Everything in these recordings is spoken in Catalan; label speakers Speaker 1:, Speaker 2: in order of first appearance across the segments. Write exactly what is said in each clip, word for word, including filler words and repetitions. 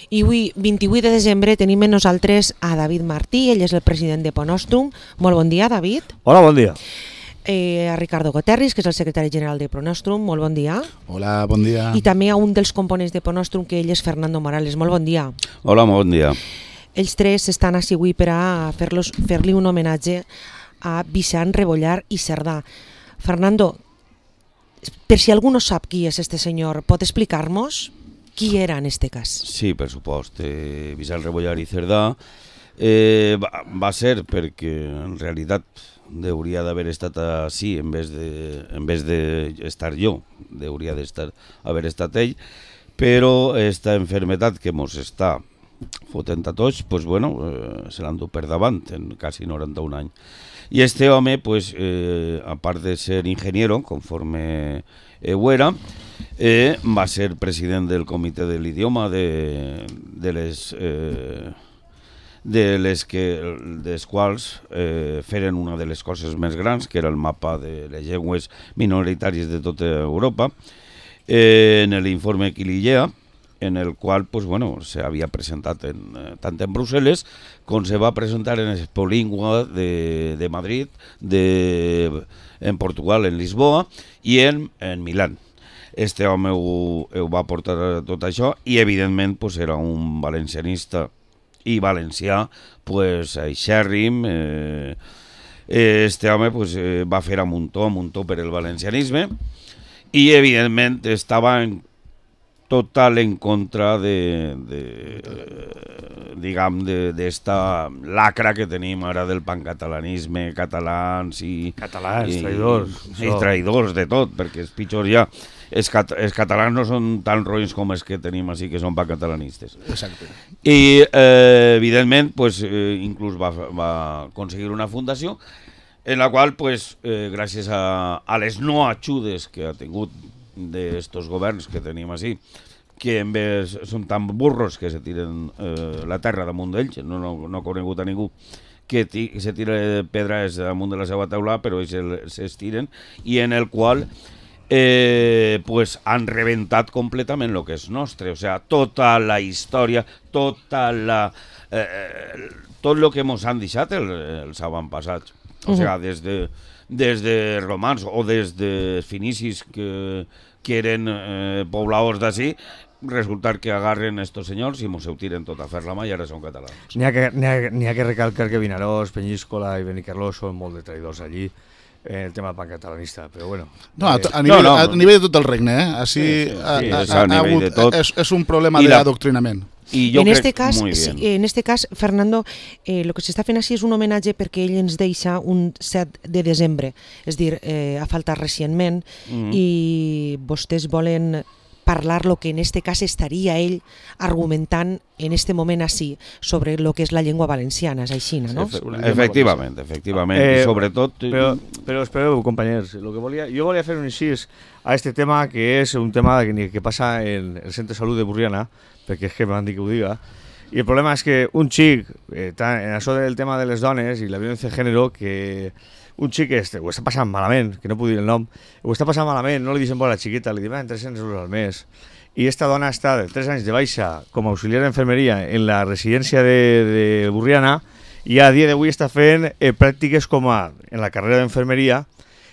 Speaker 1: I avui, vint-i-vuit de desembre, tenim amb nosaltres a David Martí, ell és el president de Pronostrum. Molt bon dia, David.
Speaker 2: Hola, bon dia.
Speaker 1: Eh, a Ricardo Guterres, que és el secretari general de Pronostrum. Molt bon dia.
Speaker 3: Hola, bon dia.
Speaker 1: I també a un dels components de Pronostrum, que ell és Fernando Morales. Molt bon dia.
Speaker 4: Hola, molt bon dia.
Speaker 1: Els tres estan així avui per a fer-los fer-li un homenatge a Vicent Rebollar i Cerdà. Fernando, per si algú no sap qui és este senyor, pot explicar-nos qui era en este cas?
Speaker 4: Sí, per supost. Eh, Vicent Rebollar i Cerdà eh, va, va ser perquè en realitat hauria d'haver estat així en vez de en vez d'estar jo, hauria d'estar haver estat ell, però esta enfermetat que mos està fotent a tots, pues bueno, eh, se l'han dut per davant en quasi noranta-un anys. I este home, pues, eh, a part de ser ingeniero, conforme eh, ho era, eh, va ser president del comitè de l'idioma de, de les... Eh, de les que des quals eh, feren una de les coses més grans, que era el mapa de les llengües minoritàries de tota Europa, eh, en l'informe Quilillea, en el qual pues, bueno, se havia presentat en, eh, tant en Brussel·les com se va presentar en Expolingua de, de Madrid, de, en Portugal, en Lisboa i en, en Milán. Este home ho, ho va portar tot això i evidentment pues, era un valencianista i valencià, pues, aixèrrim. Eh, este home pues, eh, va fer a muntó, a muntó per el valencianisme i evidentment estava en total en contra de, de eh, diguem, d'esta lacra que tenim ara del pancatalanisme, catalans i...
Speaker 2: Catalans,
Speaker 4: i,
Speaker 2: traïdors.
Speaker 4: I, i traïdors de tot, perquè és pitjor ja. Els, cat els catalans no són tan roïns com els que tenim així, que són pancatalanistes.
Speaker 3: Exacte.
Speaker 4: I, eh, evidentment, pues, eh, inclús va, va aconseguir una fundació en la qual, pues, eh, gràcies a, a les no ajudes que ha tingut d'estos governs que tenim així, que en vez són tan burros que se tiren eh, la terra damunt d'ells, no, no, no ha conegut a ningú que se tira pedres damunt de la seva taula, però ells s'estiren, i en el qual eh, pues, han reventat completament el que és nostre, o sea, tota la història, tota la, eh, tot el que ens han deixat el, els avantpassats, o sea, des de, des de romans o des de finicis que, que eren eh, pobladors d'ací, resultar que agarren estos senyors i mos ho tiren tot a fer la mà i ara són catalans.
Speaker 2: N'hi ha, que, ha, ha que recalcar que Vinaròs, Peñíscola i Benicarló són molt de traïdors allí en el tema pancatalanista, però bueno.
Speaker 3: No, a,
Speaker 2: eh,
Speaker 3: a, nivell,
Speaker 4: no, no,
Speaker 3: a nivell de tot el regne, eh? Així,
Speaker 4: sí, sí, sí,
Speaker 3: a, a,
Speaker 4: és a nivell
Speaker 3: hagut,
Speaker 4: de tot.
Speaker 3: És, és un problema
Speaker 4: I la-
Speaker 3: d'adoctrinament.
Speaker 4: I jo
Speaker 1: en,
Speaker 4: crec
Speaker 1: este cas,
Speaker 4: muy
Speaker 1: sí,
Speaker 4: bien.
Speaker 1: en este cas, Fernando, eh, lo que s'està fent així és un homenatge perquè ell ens deixa un set de desembre, és dir, eh, ha faltat recentment,
Speaker 4: Mhm.
Speaker 1: i vostès volen parlar lo que en este cas estaria ell argumentant en este moment així sobre lo que és la llengua valenciana, és així, no?
Speaker 4: Efe efectivament, efectivament,
Speaker 2: Eh,
Speaker 4: i sobretot...
Speaker 2: Però, però espereu, companys, lo que volia, jo volia fer un incís a este tema, que és un tema que, que passa en el Centre de Salut de Burriana, perquè és que m'han dit que ho diga, i el problema és que un xic, eh, en això del tema de les dones i la violència de gènere, que un xic este, ho està passant malament, que no puc dir el nom, ho està passant malament, no li deixen por a la xiquita, li diuen tres-cents euros al mes, i esta dona està de tres anys de baixa com a auxiliar d'enfermeria en la residència de, de Burriana, i a dia d'avui està fent eh, pràctiques com a en la carrera d'enfermeria,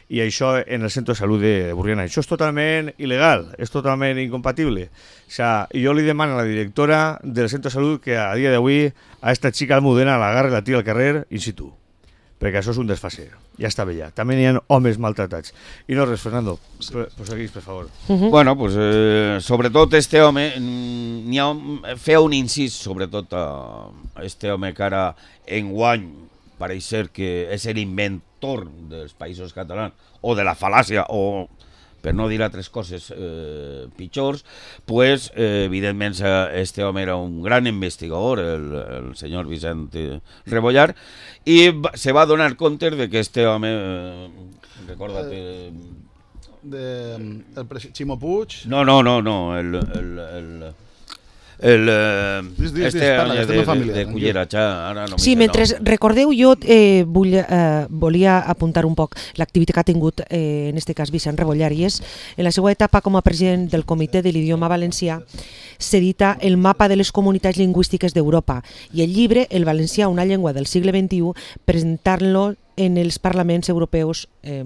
Speaker 2: i això en el centre de salut de Burriana. Això és totalment il·legal, és totalment incompatible. O sea, jo li demano a la directora del centre de salut que a dia d'avui a esta xica almudena l'agarre i la tira al carrer in situ, perquè això és un desfase. Ja està bé ja. També n'hi ha homes maltratats. I no res, Fernando, proseguís, per favor.
Speaker 1: Uh-huh.
Speaker 4: Bueno, pues, eh, sobretot este home, n'hi ha un, feia un incís sobretot a este home que ara enguany pareix ser que és l'inventor dels països catalans, o de la fal·làcia, o per no dir altres coses eh, pitjors, pues, eh, evidentment este home era un gran investigador, el, el senyor Vicent Rebollar, i va, se va donar compte de que este home, eh, recorda't... Eh,
Speaker 3: De, el Ximo Puig.
Speaker 4: no, no, no, no, el... el, el el, eh,
Speaker 3: Dis, dis,
Speaker 4: este
Speaker 3: dis, parla,
Speaker 4: año
Speaker 3: que estem
Speaker 4: de,
Speaker 3: en família,
Speaker 4: de, de
Speaker 3: tranquil.
Speaker 4: Cullera, xa, ara no
Speaker 1: Sí,
Speaker 4: m'he
Speaker 1: mentre
Speaker 4: nom.
Speaker 1: recordeu, jo eh, vull, eh, volia apuntar un poc l'activitat que ha tingut, eh, en este cas, Vicent Rebollar, i és, en la seva etapa com a president del Comitè de l'Idioma Valencià, s'edita el mapa de les comunitats lingüístiques d'Europa i el llibre El valencià, una llengua del segle vint-i-u, presentant-lo en els parlaments europeus, eh,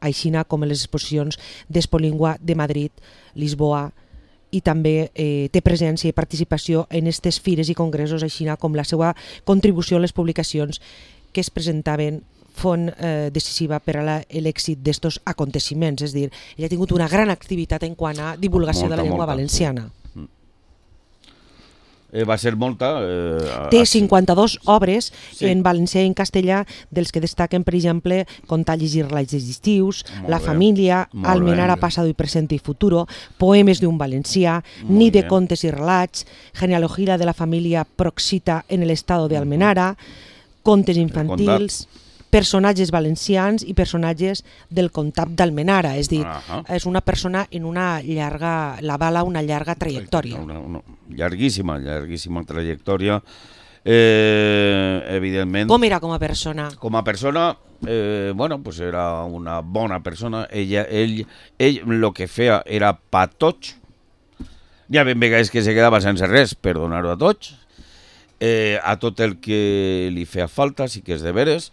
Speaker 1: aixina com en les exposicions d'Expolingua de Madrid, Lisboa, i també eh, té presència i participació en aquestes fires i congressos, així com la seva contribució a les publicacions que es presentaven font eh, decisiva per a l'èxit d'estos aconteciments. És a dir, ell ha tingut una gran activitat en quant a divulgació
Speaker 4: Molta,
Speaker 1: de la llengua
Speaker 4: molta,
Speaker 1: valenciana.
Speaker 4: Eh, va ser molta... Eh,
Speaker 1: Té
Speaker 4: a-
Speaker 1: cinquanta-dues obres
Speaker 4: Sí.
Speaker 1: en valencià i en castellà, dels que destaquen, per exemple, Contar, llegir, relats estius,
Speaker 4: Molt
Speaker 1: La
Speaker 4: bé.
Speaker 1: família,
Speaker 4: Molt
Speaker 1: Almenara,
Speaker 4: bé.
Speaker 1: Pasado y presente y futuro, Poemes d'un valencià,
Speaker 4: Molt
Speaker 1: Ni de
Speaker 4: bé.
Speaker 1: contes i relats, Genealogía de la familia Proxita en el estado de Almenara, Contes infantils, personatges valencians i personatges del comtat d'Almenara. És dir,
Speaker 4: Ahà.
Speaker 1: és una persona en una llarga, la bala una llarga trajectòria.
Speaker 4: Una, una llarguíssima, llarguíssima trajectòria. Eh, evidentment,
Speaker 1: Com era com a persona?
Speaker 4: com a persona, eh, bueno, pues era una bona persona. Ella, ell, ell lo que feia era pa tots. Hi ha ben vegades que se quedava sense res per donar-ho a tots. Eh, a tot el que li feia falta, sí que és de veres.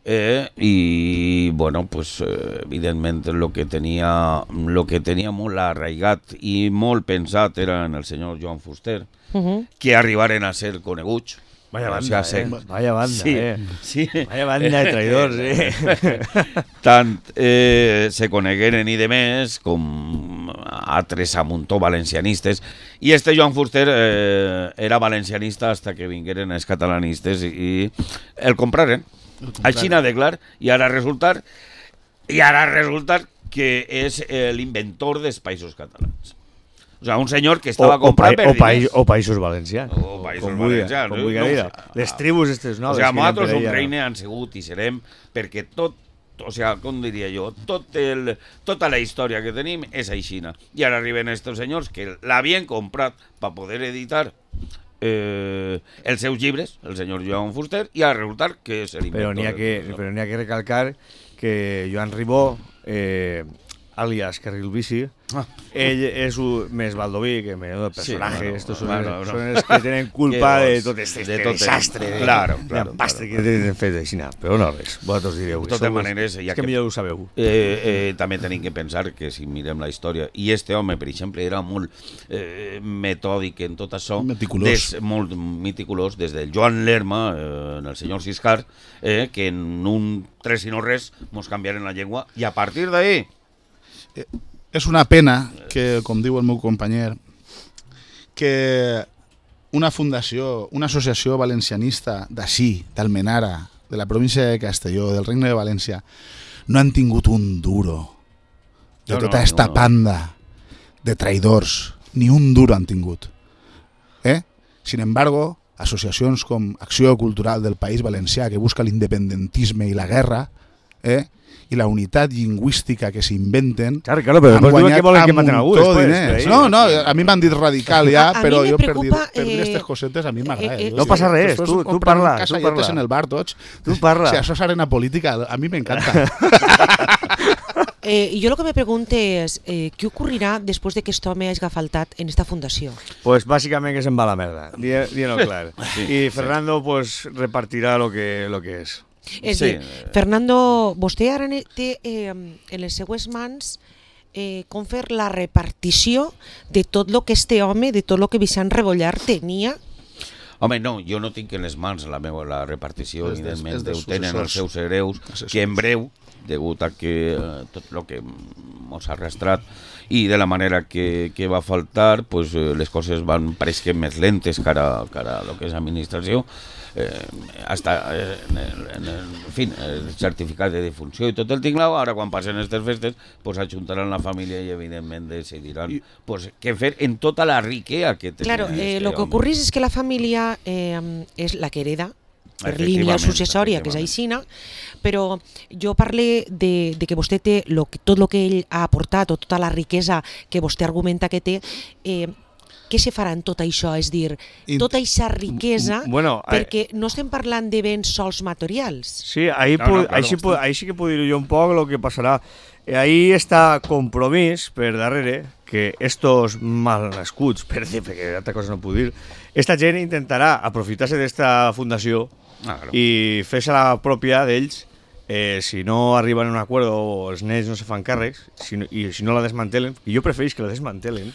Speaker 4: Eh, i bueno, pues eh, evidentment lo que tenia lo que tenia molt arraigat i molt pensat era en el senyor Joan Fuster,
Speaker 1: Uh -huh.
Speaker 4: que arribaren a ser coneguts.
Speaker 2: Vaya
Speaker 4: O
Speaker 2: banda,
Speaker 4: sea,
Speaker 2: eh?
Speaker 4: se-
Speaker 2: Vaya banda,
Speaker 4: sí,
Speaker 2: eh?
Speaker 4: sí.
Speaker 2: Vaya banda de traïdors, eh?
Speaker 4: Tant eh, se conegueren i de més com altres a muntó valencianistes, i este Joan Fuster eh, era valencianista hasta que vingueren els catalanistes i, i el compraren. Així n'ha de clar, i ara resultar i ara resultar que és eh, l'inventor dels països catalans. O sea, un senyor que estava
Speaker 2: o,
Speaker 4: comprant
Speaker 2: pa
Speaker 4: per
Speaker 2: o, paï
Speaker 4: diners.
Speaker 2: o països valencians.
Speaker 4: O països
Speaker 2: com vulgui,
Speaker 4: valencians,
Speaker 2: Com
Speaker 4: eh?
Speaker 2: vulgui
Speaker 4: No,
Speaker 2: dir.
Speaker 4: o sea,
Speaker 2: Les tribus estes
Speaker 4: O
Speaker 2: noves.
Speaker 4: sigui,
Speaker 2: que
Speaker 4: nosaltres
Speaker 2: hi ha
Speaker 4: un
Speaker 2: per
Speaker 4: reine
Speaker 2: ella.
Speaker 4: han sigut i serem perquè tot, o sigui, com diria jo, tot el, tota la història que tenim és aixina. I ara arriben estos senyors que l'havien comprat per poder editar eh, els seus llibres, el senyor Joan Fuster, i ara resultar que és l'inventor.
Speaker 2: Però n'hi ha, que,
Speaker 4: del-
Speaker 2: però n'hi ha que recalcar que Joan Ribó, eh, alias Carril Bici,
Speaker 4: Ah.
Speaker 2: ell és un, més baldoví que menudo personaje.
Speaker 4: Sí, bueno,
Speaker 2: Estos són,
Speaker 4: bueno,
Speaker 2: els,
Speaker 4: no.
Speaker 2: són els que tenen culpa
Speaker 4: Que
Speaker 2: de
Speaker 4: vos-
Speaker 2: tot este,
Speaker 4: de
Speaker 2: este
Speaker 4: tot el-
Speaker 2: desastre. de-
Speaker 4: Claro,
Speaker 2: de
Speaker 4: claro,
Speaker 2: empastre
Speaker 4: claro.
Speaker 2: que tenen fet així. Però no res, vosaltres direu.
Speaker 4: De totes
Speaker 2: Sou-
Speaker 4: maneres, ja
Speaker 2: és que
Speaker 4: que-
Speaker 2: millor ho sabeu.
Speaker 4: Eh, eh, també tenim que pensar que si mirem la història, i este home, per exemple, era molt eh, metòdic en tot això,
Speaker 3: Meticulós.
Speaker 4: des, molt meticulós, des del Joan Lerma, eh, en el senyor Siscar, eh, que en un tres i no res mos canviaren la llengua, i a partir d'ahí
Speaker 3: És una pena que, com diu el meu companyer, que una fundació, una associació valencianista d'ací, d'Almenara, de la província de Castelló, del Regne de València, no han tingut un duro de
Speaker 4: No, no,
Speaker 3: tota esta
Speaker 4: no, no.
Speaker 3: panda de traïdors. Ni un duro han tingut. Eh? Sin embargo, associacions com Acció Cultural del País Valencià, que busca l'independentisme i la guerra, eh? i la unitat lingüística que s'inventen,
Speaker 2: Claro, claro, però
Speaker 3: han
Speaker 2: després diuen
Speaker 3: guanyat
Speaker 2: que volen que
Speaker 3: a
Speaker 2: maten algú
Speaker 3: muntó
Speaker 2: després.
Speaker 3: diners.
Speaker 2: per ahí.
Speaker 3: No, no, a mi m'han dit radical ja,
Speaker 1: A- a
Speaker 3: però
Speaker 1: mi me
Speaker 3: jo per dir,
Speaker 1: preocupa,
Speaker 3: per dir
Speaker 1: eh,
Speaker 3: aquestes cosetes a mi m'agrada.
Speaker 1: eh, eh,
Speaker 3: Jo
Speaker 2: No
Speaker 3: sí,
Speaker 2: passa res,
Speaker 3: després
Speaker 2: tu- tu
Speaker 3: compren
Speaker 2: parla, tu
Speaker 3: casalletes
Speaker 2: parla.
Speaker 3: en el bar tots.
Speaker 2: Tu parla.
Speaker 3: Si això és arena política, a mi m'encanta.
Speaker 1: Eh, yo lo que me pregunto es, eh, ¿qué ocurrirá después de que esto me haya faltat en esta fundació?
Speaker 2: Pues bàsicament que se'n va a la merda, dient-ho clar.
Speaker 4: Sí,
Speaker 2: I Fernando pues repartirà lo que, lo que és.
Speaker 1: És
Speaker 4: Sí.
Speaker 1: dir, Fernando, vostè ara ne- té eh, en les seues mans eh, com fer la repartició de tot lo que este home, de tot lo que Vicent Rebollar tenia.
Speaker 4: Home, no, jo no tinc en les mans la meva la repartició,
Speaker 3: És dels-
Speaker 4: evidentment,
Speaker 3: és dels
Speaker 4: ho tenen els
Speaker 3: successors.
Speaker 4: seus hereus,
Speaker 3: Assessors.
Speaker 4: que en breu, degut a que eh, tot el que mos ha arrastrat i de la manera que, que va faltar, pues, eh, les coses van pareix que més lentes cara, cara a lo que és administració, eh, hasta eh, en, el, en, el, en fin, el certificat de defunció i tot el tinglao. Ara quan passen aquestes festes pues ajuntaran la família i evidentment decidiran
Speaker 3: I-
Speaker 4: pues, què fer en tota la riquea que tenia
Speaker 1: Claro, eh,
Speaker 4: este
Speaker 1: lo que
Speaker 4: home.
Speaker 1: ocurrís es que la família eh, és la que hereda per línia
Speaker 4: Efectivament,
Speaker 1: successòria, que és
Speaker 4: efectivament.
Speaker 1: aixina, però jo parle de, de que vostè té lo que, tot el que ell ha aportat o tota la riquesa que vostè argumenta que té, eh, què se farà en tot això? És dir,
Speaker 3: I-
Speaker 1: tota aquesta riquesa,
Speaker 2: Bueno, eh,
Speaker 1: perquè no estem parlant de béns sols materials.
Speaker 2: Sí, ahí,
Speaker 4: No,
Speaker 2: pu-
Speaker 4: no, claro,
Speaker 2: ahí, sí, pu-
Speaker 4: bastante.
Speaker 2: ahí sí que puedo ir yo un poco lo que pasará. Eh, Ahí está compromís per darrere que estos mal nascuts, per dir, perquè altra cosa no puc dir, esta gent intentarà aprofitar-se d'esta fundació
Speaker 4: Ah, claro.
Speaker 2: i fer-se la pròpia d'ells eh, si no arriben a un acord o els nens no se fan càrrecs si no, i si no la desmantelen, i jo prefereix que la desmantelen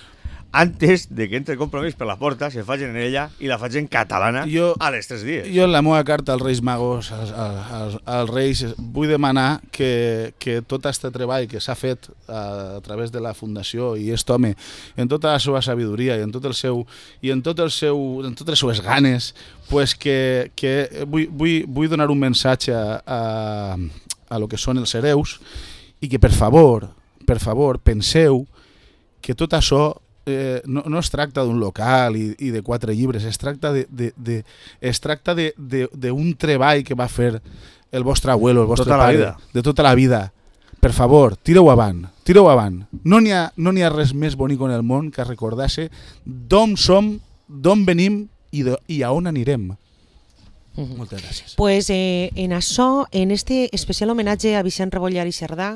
Speaker 2: antes de que entre compromís per la porta, se facin en ella i la facin catalana
Speaker 3: Jo-
Speaker 2: a les tres dies.
Speaker 3: Jo en la meva carta als Reis Magos, als, als, als Reis, vull demanar que, que tot aquest treball que s'ha fet a, a través de la Fundació i aquest home, en tota la seva sabidoria i en tot el seu i en tot el seu en totes les seues ganes, pues que, que vull, vull, vull donar un missatge a, a, a lo que són els hereus i que per favor, per favor, penseu que tot això Eh, no, no es tracta d'un local i, i de quatre llibres, es tracta de, de, de, es tracta de, de, d'un treball que va fer el vostre abuelo, el vostre
Speaker 2: Tota la
Speaker 3: pare,
Speaker 2: vida.
Speaker 3: de tota la vida. Per favor, tireu avant, tireu avant. No n'hi ha, no n'hi ha res més bonic en el món que recordar-se d'on som, d'on venim i, de, i a on anirem. Moltes gràcies.
Speaker 1: Pues eh, en això, en este especial homenatge a Vicent Rebollar i Cerdà,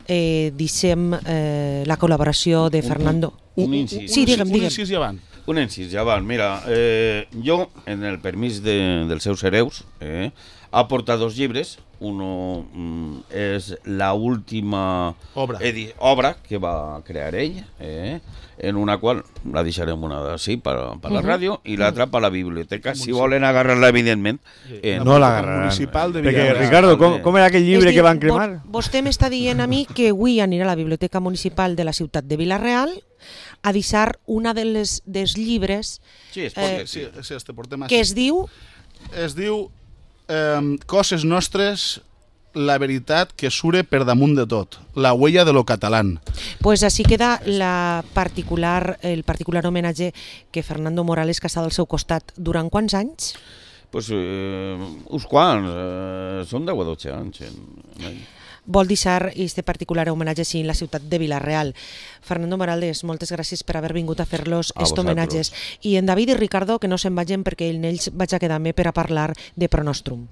Speaker 1: eh, deixem eh, la col·laboració de Fernando.
Speaker 4: Un incís.
Speaker 1: Sí, digue'm,
Speaker 3: un
Speaker 1: digue'm.
Speaker 3: incís i avant.
Speaker 4: Un incís, ja val. Mira, eh, jo, en el permís de, dels seus hereus, eh, ha portat dos llibres. Uno mm, és la última
Speaker 3: Obra.
Speaker 4: edi- obra que va crear ell, eh, en una qual la deixarem una així per, per la ràdio i l'altra per la biblioteca, si volen agarrar-la, evidentment. Eh,
Speaker 2: No l'agarraran.
Speaker 3: Municipal de
Speaker 2: Perquè,
Speaker 3: Villarreal.
Speaker 2: Ricardo, com, com era aquell llibre
Speaker 1: És dir,
Speaker 2: que van
Speaker 1: vo-
Speaker 2: cremar?
Speaker 1: Vostè m'està dient a mi que avui anirà a la Biblioteca Municipal de la ciutat de Vilareal a deixar una de les, dels llibres
Speaker 4: Sí, es pot
Speaker 1: Eh,
Speaker 4: dir,
Speaker 3: Sí,
Speaker 4: sí.
Speaker 3: sí, este portem
Speaker 1: que
Speaker 3: així.
Speaker 1: es diu
Speaker 3: Es diu eh, Coses nostres, la veritat que sure per damunt de tot, la huella de lo catalán.
Speaker 1: pues així queda la particular, el particular homenatge que Fernando Morales, que ha estat al seu costat durant quants anys?
Speaker 4: Pues, eh, uns quants, eh, són deu o dotze anys. En, en
Speaker 1: Vol deixar este particular homenatge així en la ciutat de Vilareal. Fernando Morales, moltes gràcies per haver vingut a fer-los
Speaker 4: A
Speaker 1: estos
Speaker 4: vosaltres.
Speaker 1: homenatges. I en David i Ricardo, que no se'n vagin perquè en ells vaig a quedar-me per a parlar de Pronostrum.